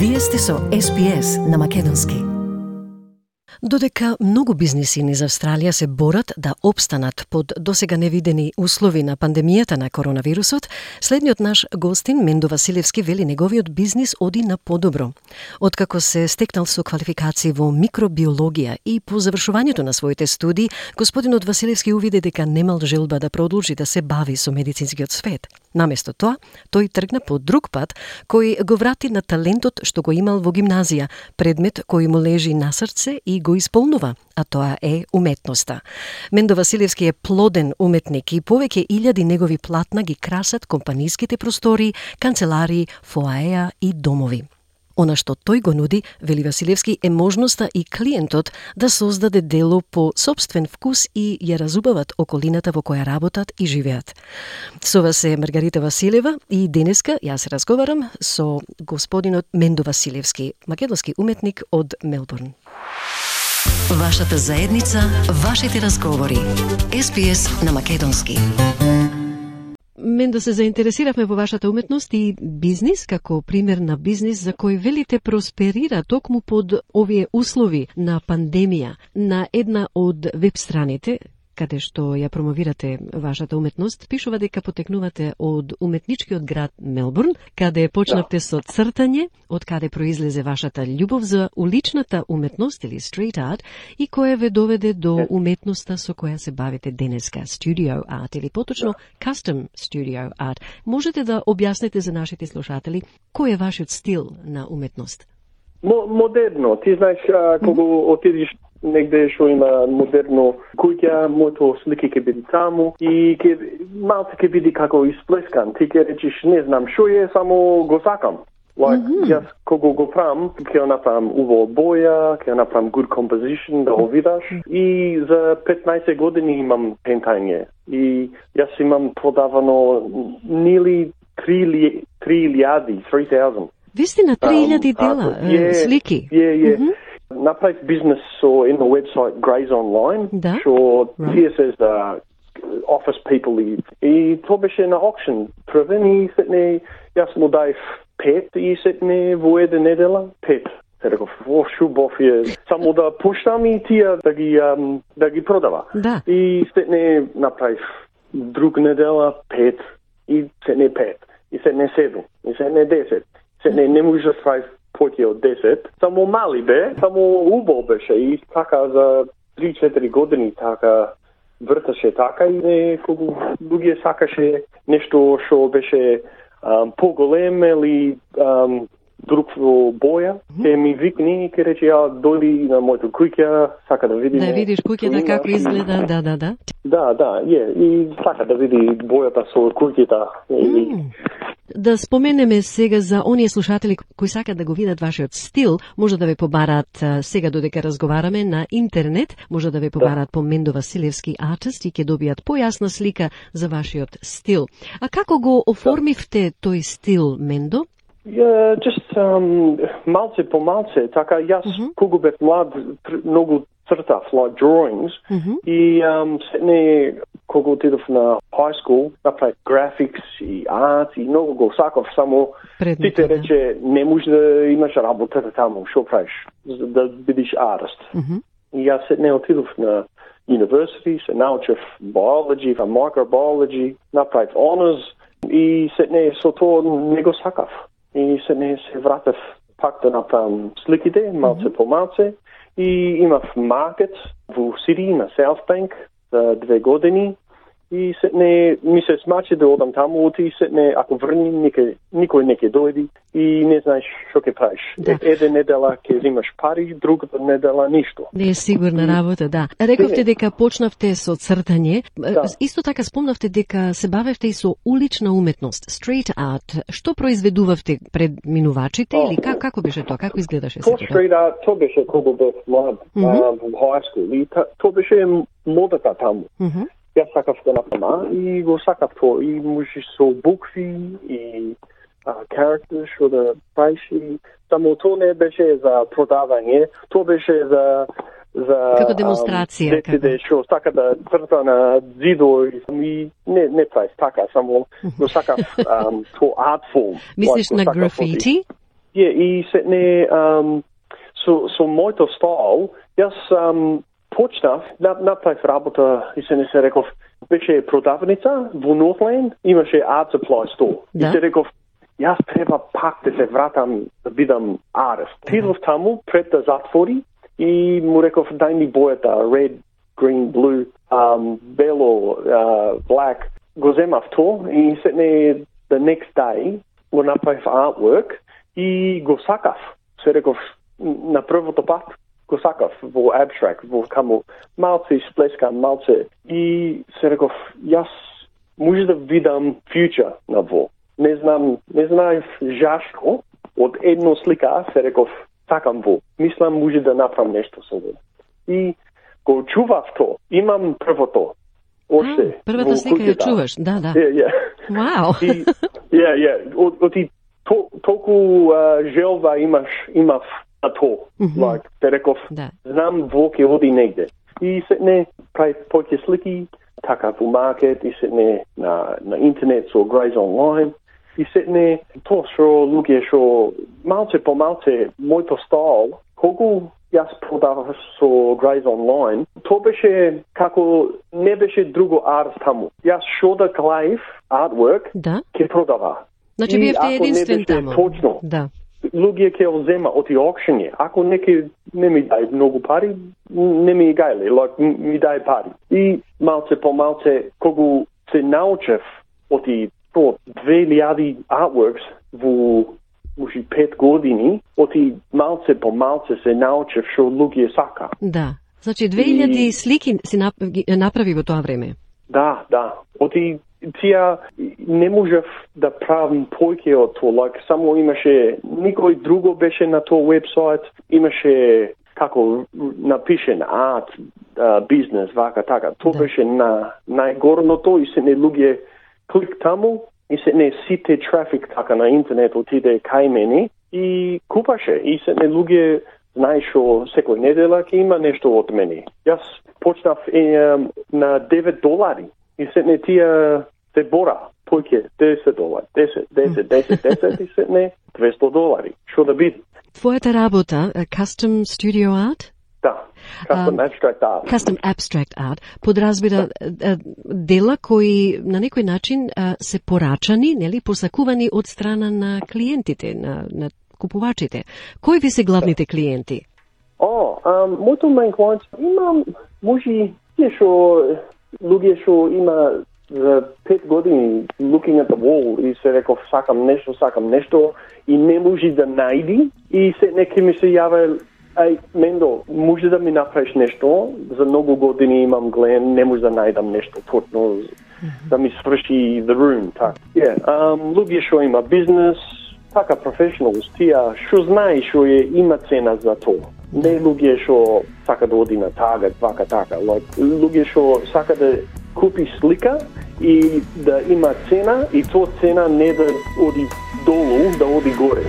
Вие сте со SPS на Македонски. Додека многу бизниси низ Австралија се борат да опстанат под досега невидени услови на пандемијата на коронавирусот, следниот наш гостин Мендо Василевски вели неговиот бизнис оди на подобро. Откако се стекнал со квалификации во микробиологија и по завршувањето на своите студии, господинот Василевски увиде дека немал желба да продолжи да се бави со медицинскиот свет. Наместо тоа, тој тргна по друг пат кој го врати на талентот што го имал во гимназија, предмет кој му лежи на срце и го исполнува, а тоа е уметноста. Мендо Василевски е плоден уметник и повеќе илјади негови платна ги красат компанијските простори, канцеларии, фоаеа и домови. Она што тој го нуди, вели Василевски, е можноста и клиентот да создаде дело по сопствен вкус и ја разубават околината во која работат и живеат. Со вас е Маргарита Василева и денеска јас разговарам со господинот Мендо Василевски, македонски уметник од Мелбурн. Вашата заедница, вашите разговори. SPS на Македонски. Мендо, се заинтересиравме во вашата уметност и бизнис, како пример на бизнис за кој велите просперира токму под овие услови на пандемија. На една од веб страните, каде што ја промовирате вашата уметност, пишува дека потекнувате од уметничкиот град Мелбурн, каде почнавте со цртање, од каде произлезе вашата љубов за уличната уметност или street art и која ве доведе до уметноста со која се бавите денеска, studio art или поточно custom studio art. Можете да објасните за нашите слушатели кој е вашиот стил на уметност? Модерно. Ти знаеш, кога отидеш негде што има модерно куќа, моето слики ќе биде таму и малце ќе биде како исплескан. Ти ќе речеш, не знам што е, само го сакам. Јас кога го правам, ќе направам убава боја, ќе направам good composition, да го видаш. И за 15 години имам пентање. И јас имам продавано нели 3,000. Вистина, 3,000 дела, слики. Направив бизнес со едно вебсайт Grays Online, што тие се за office people и тоа беше на auction првен и сетне, јас му дајв 5 и сетне во една недела 5. Се реков, шубов е, само да пуштам и тие да ги продава. Да. И сетне направив друг недела 5 и сетне 5 и сетне 7 и сетне 10. Сетне не може да правив поќе од 10, само мали бе, само убаво беше и така за 3-4 години така врташе така и кога луѓе сакаше нешто што беше поголем или друг боја, ќе ми викни и ќе рече ја дојди на моето куќа, сака да види. Да видиш куќата како изгледа, да. Да, и сака да види бојата со куќата. Да споменеме сега за оние слушатели кои сакат да го видат вашиот стил, може да ве побараат сега додека разговараме на интернет, може да ве побараат по Мендо Василевски Artist и ќе добијат појасна слика за вашиот стил. А како го оформивте тој стил, Мендо? Малце по малце, така јас кога бев млад многу цртав, like drawings, и сетне кога отидов на high school, направив graphics и art и многу го сакав, само ти те рече не може да имаш работа таму, што правиш, да бидеш artist. И јас сетне отидов на university, се научив biology, microbiology, направив honors и сетне со тоа не го сакав. И сетне се вратив пак да направам сликите, малце по малце, и имав маркет во Сиди на South Bank за 2 години. И сетне ми се смачи да одам таму, и сетне ако врним никој не ќе дојди и не знаеш што ќе правиш. Една недела ќе взимаш пари, другата недела ништо. Не е сигурна работа, да. Рековте дека почнавте со цртање. Исто така спомнавте дека се бавевте и со улична уметност, street art. Што произведувавте пред минувачите или како беше тоа? Како изгледаше се тоа? Street art, тоа беше кога бев млад во high school. И тоа беше модата таму. Јас сакав да направам и го сакав тоа. И можеш со букви и characters што да правиш. Само тоа не беше за продавање, тоа беше за како демонстрација, дете што сака да црта на зидо и не прави така, само го сакав тоа art form. Мислиш на графити? и се не со моето стайл, јас почнав, направив работа и се не се реков, беше продавница во Northland, имаше art supply store. И се реков, јас треба пак да се вратам да бидам артист. Тидов таму пред да затвори и му реков, дај ми бојата, red, green, blue, бело, black. Го земав то и се не the next day го направив artwork и го сакав. Се реков, на првото пат го сакав во abstract, во каму малце сплескам, малце. И се реков, јас може да видам future на во. Не знаев жашко, од едно слика се реков, сакам во. Мислам може да направам нешто со во. И го чував то. Имам првото. Оште. Првата слика ја чуваш, да. Вау. Оти толку желба имав на то. Like, те реков, знам во ке оди негде. И се не прави повеќе слики, така во маркет, и се не на интернет со Graze Online. И се не то што луѓе што малце по малце моето стайл, колку јас продавав со Graze Online, то беше како не беше друго арт таму. Јас шо да гледав artwork, ке продава. Значи бевте единствен таму. Точно. Да. Луѓе ќе озема од аукциони. Ако неки не ми дај многу пари, не ми гајле, ми дај пари. И малце по малце, кога се научев од 2000 artworks во 5 години, оти малце по малце се научев што луѓе сака. Да. Значи 2000 слики си направи во тоа време. Да. Оти тија не можев да правам повеќе од тоа. Само имаше никој друго беше на тој вебсайт, имаше како напишен арт, бизнес, вака така. Тоа беше на најгорното и се не луѓе клик таму и се не сите трафик така на интернет отиде кај мене и купаше и се не луѓе знаеш што секој недела ќе има нешто од мене. Јас почнав на $9 и се не тие се бора повеќе $10, 10 и се не $200. Што да биде? Твојата работа, Custom Studio Art? Да, Custom Abstract Art. Custom Abstract Art подразбира дела кои на некој начин се порачани, нели, посакувани од страна на клиентите, на купувачите. Кои ви се главните клиенти? Моето main clients имам може луѓе што има за 5 години looking at the wall и се реков сакам нешто и не може да најди и се неки ми се јаве Мендо, може да ми направиш нешто, за многу години имам гледен, не може да најдам нешто точно да ми сврши the room, така. Луѓе што има бизнес, така professionals, тија што знае што има цена за тоа. Не луѓе што сака да оди на Target, вака така. Луѓе што сака да купи слика и да има цена и тоа цена не да оди долу, да оди горе.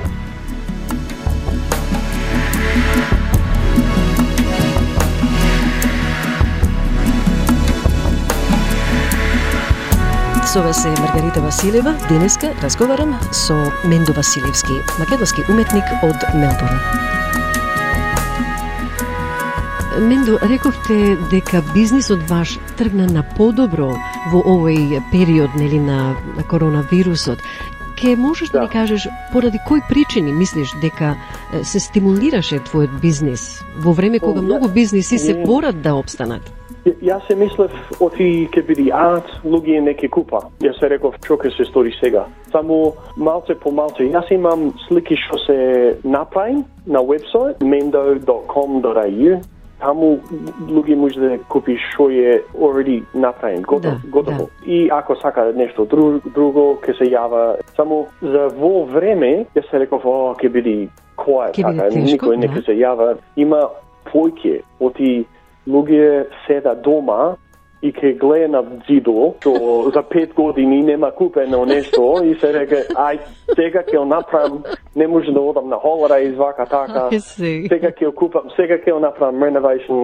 Со вас е Маргарита Василева. Денеска разговарам со Мендо Василевски, македонски уметник од Мелбурн. Мендо, рековте дека бизнисот ваш тргна на подобро во овој период, нели, на коронавирусот. Ке можеш да ни кажеш поради кои причини мислиш дека се стимулираше твојот бизнис во време кога многу бизниси се борат да опстанат? Јас се мислев оти ке биде арт, луѓе не ке купа. Јас се реков што ке се стори сега. Само малце по малце. Јас имам слики што се направим на вебсайт mendo.com.au. Таму луѓе може да купи што е already направен, готово. И ако сака нешто друго, ке се јава. Само за во време, јас се реков, ке биде quiet, така, никој не ке се јава. Има појке оти луѓе седа дома и ке гледа на зидо, што за 5 години нема купено нешто и се реке, сега ќе направам, не може да одам на holidays, вака така. Сега ќе купам, сега ќе направам renovation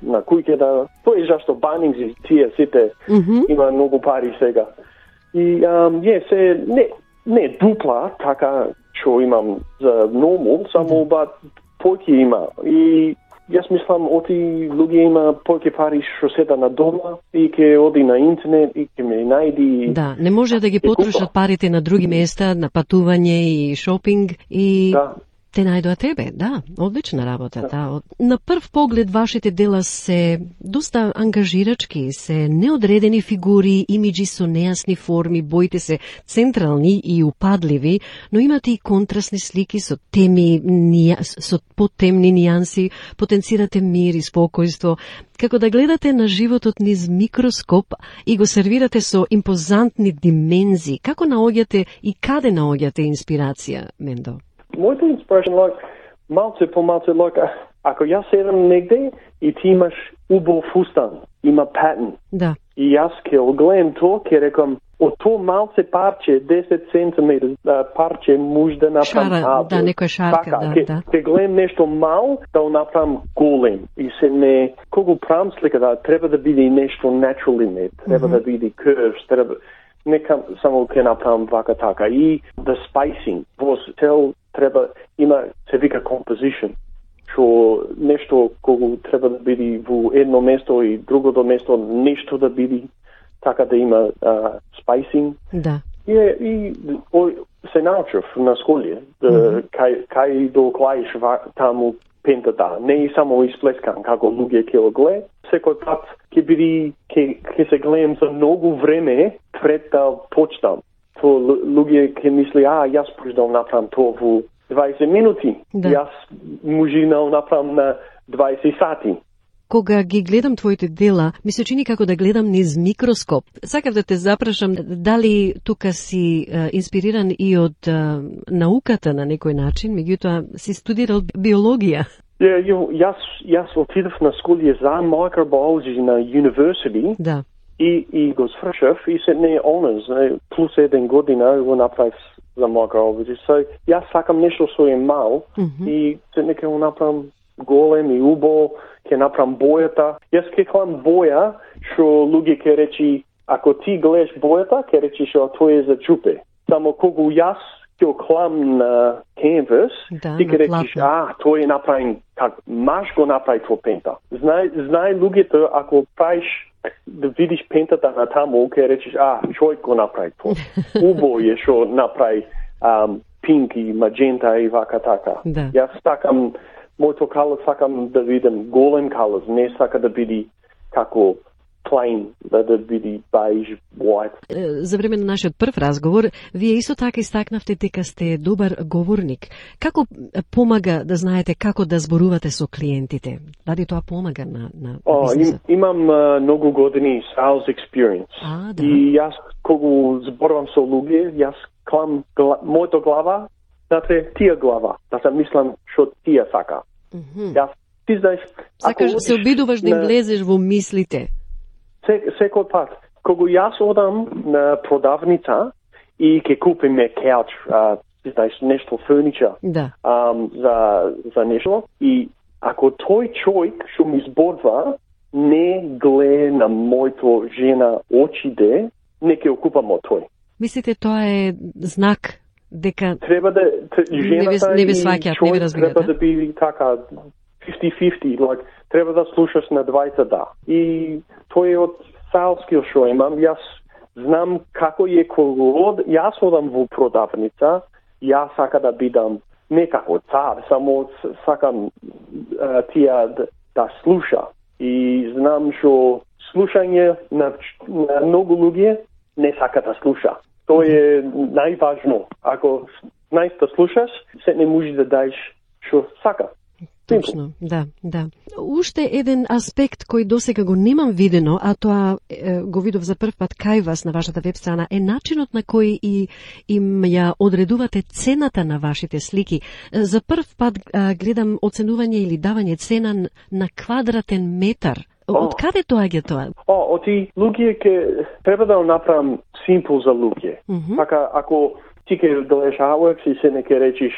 на куќата. Тоа е зашто Bunnings и тие сите има многу пари сега. И се не дупла, така што имам за нормал, само ба повеќе има. И јас мислам, оти луѓе има повеќе пари што седа на дома и ќе оди на интернет и ќе ме најди. Да, не може да ги потрошат парите на други места, на патување и шопинг и те најдоа тебе. Да, одлична работа. Да. На прв поглед вашите дела се доста ангажирачки, се неодредени фигури, имиджи со нејасни форми, боите се централни и упадливи, но имате и контрастни слики со теми, со потемни нијанси, потенцирате мир и спокојство. Како да гледате на животот низ микроскоп и го сервирате со импозантни димензии. Како наоѓате и каде наоѓате инспирација, Мендо? Мојата инспирација, малце по малце, ако јас седам негде и ти имаш убав фустан, има патен, и јас ќе огледам тоа, ќе рекам, од тоа малце парче, 10 сантиметри парче, може да направам шара, некоја шарка, ќе гледам нешто мал, да го направам голем. И се не, кога правам слика, треба да биде нешто natural in it, треба да биде curves, треба нека само ќе направам вака така. И the spacing, во цел треба има се вика composition, што нешто кога треба да биде во едно место и другото место нешто да биде така да има spacing. Да. И се научив на школе кај до клаиш таму пентата, не и само исплескан како луѓе ќе го гледа. Секој пат ќе биде ќе се гледам за многу време пред да почнам. То луѓе ќе мисли, јас почнал направам тоа во 20 минути. Да. Јас можинал направам на 20 сати. Кога ги гледам твоите дела, ми се чини како да гледам низ микроскоп. Сакав да те запрашам, дали тука си инспириран и од науката на некој начин, меѓутоа си студирал биологија. Јас отидов на школа за microbiology на university. Да. И го свршив и се не honors, плюс 1 година го направив за microbiology. So, јас сакам нешто со мал и се нека го направам голем и убо, ќе направам бојата. Јас ќе клам боја, што луѓе ќе речи, ако ти гледаш бојата, ќе речи што тоа е за чупе. Само кога јас ќе клам на canvas, ти ќе речиш, тоа е направен, как маш го направи тоа пента. Знае луѓето, ако правиш да видиш пентата на таму, ќе речиш, човек го направи тоа. Убо е што направи пинк и маджента и вака така. Да. Јас сакам моето калос, сакам да видам голем калос, не сака да биде како plain, да биде beige, white. За време на нашиот прв разговор, вие исто така истакнавте дека сте добар говорник. Како помага да знаете како да зборувате со клиентите? Дали тоа помага на бизнисот? Имам многу години sales experience. Да. И јас кога зборувам со луѓе, јас клам моето глава, знаете, тија глава, да се мислам што тија сака. Јас, ти знаеш, сакаш се обидуваш да им влезеш во мислите. Секој пат, кога јас одам на продавница и ќе купиме кауч, знаеш, нешто фурничер, за нешто, и ако тој човек што ми зборува не гледа на моето жена очите, не ќе окупам од тој. Мислите тоа е знак дека треба да жената не ви сваќаат, не ви разбираат. Треба да биде така 50-50, like, треба да слушаш на двајцата. И тој е од салскиот што имам. Јас знам како е кога јас одам во продавница, јас сакам да бидам не како цар, само сакам тија да слуша. И знам што слушање на многу луѓе не сака да слуша. Тоа е најважно. Ако најста слушаш, се не можеш да даеш што сака. Точно, да. Уште еден аспект кој досега го немам видено, а тоа го видов за прв пат кај вас на вашата веб страна, е начинот на кој им ја одредувате цената на вашите слики. За прв пат гледам оценување или давање цена на квадратен метар. Од каде доаѓа тоа? Оти луѓе ќе треба да направам симпл за луѓе. Така ако ти ќе гледаш artworks и се не ќе речиш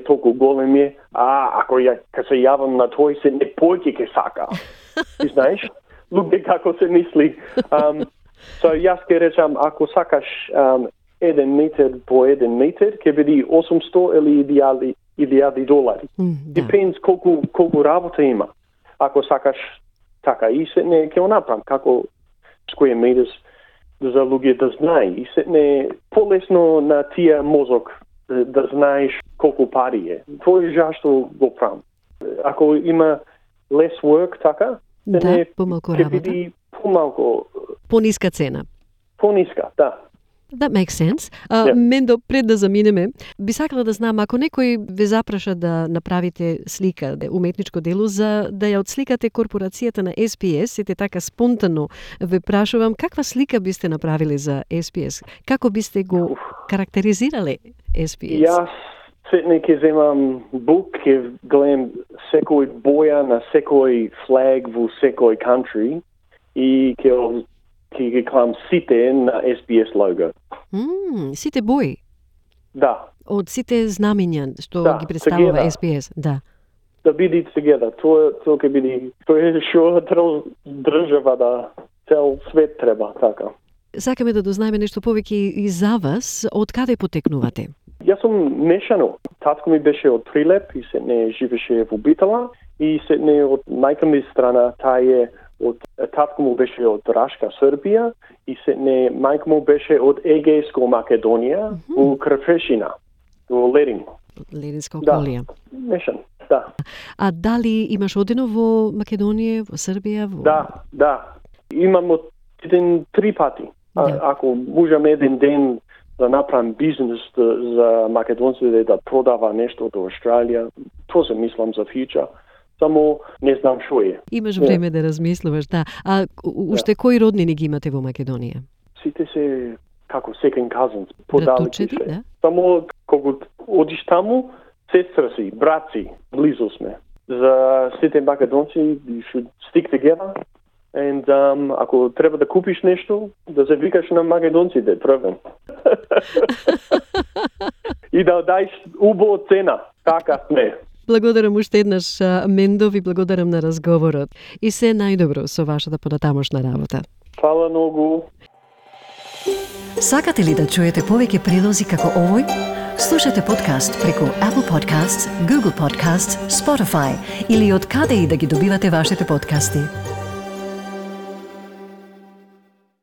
толку голем е, ако ќе се јавам на тој се не појќе ќе сака. Ти знаеш? Луѓе како се мисли. So јас ќе речам, ако сакаш 1 метар по 1 метар ќе биде 800 или $1,000. Depends колку работа има. Ако сакаш така и се не ќе направам како square meters за луѓе да знае и се не полесно на тие мозок да знаеш колку пари е. Тоа е зашто го правам. Ако има less work така, помалку работа. Ќе биде помалку пониска цена. Пониска, да. That makes sense. Мендо, пред да заминеме, би сакала да знам, ако некој ве запраша да направите слика, уметничко дело, за да ја отсликате корпорацијата на SPS, сите така спонтано ве прашувам, каква слика бисте направили за SPS? Како бисте го карактеризирале SPS? Јас сетне ќе земам бук, ќе гледам секој боја на секој флаг во секој country и ќе ги клам сите на SPS лого. Сите бои? Да. Од сите знамења што ги представува together. SPS, да. Да биде together. Тоа ќе биде, тоа е што држава да цел свет треба, така. Сакаме да дознаеме нешто повеќе и за вас. Од каде потекнувате? Јас сум мешано. Татко ми беше од Прилеп и се не живеше во Битола и се не од мајка ми страна, тај е од татко му беше од Рашка, Србија и се не мајка му беше од Егејско Македонија, во Крфешина, во Ледин. Лединска околија. Да, мешан, да. А дали имаш одено во Македонија, во Србија? Да. Имам оден 3 пати. Ако можам еден ден да направам бизнес за македонците да продава нешто до Австралија, тоа се мислам за future. Само не знам што е. Имаш време да размислуваш, да. А уште кои роднини ги имате во Македонија? Сите се како second cousins, подалечи се. Да? Само кога одиш таму, сестра си, брат си, близо сме. За сите македонци, you should stick together. And ако треба да купиш нешто, да се викаш на македонците, првен. И да дајш убава цена. Така сме. Благодарам уште еднаш, Мендо, ви благодарам на разговорот. И се најдобро со вашата понатамошна работа. Фала многу. Сакате ли да чуете повеќе прилози како овој? Слушате подкаст преку Apple Podcasts, Google Podcasts, Spotify или од каде и да ги добивате вашите подкасти.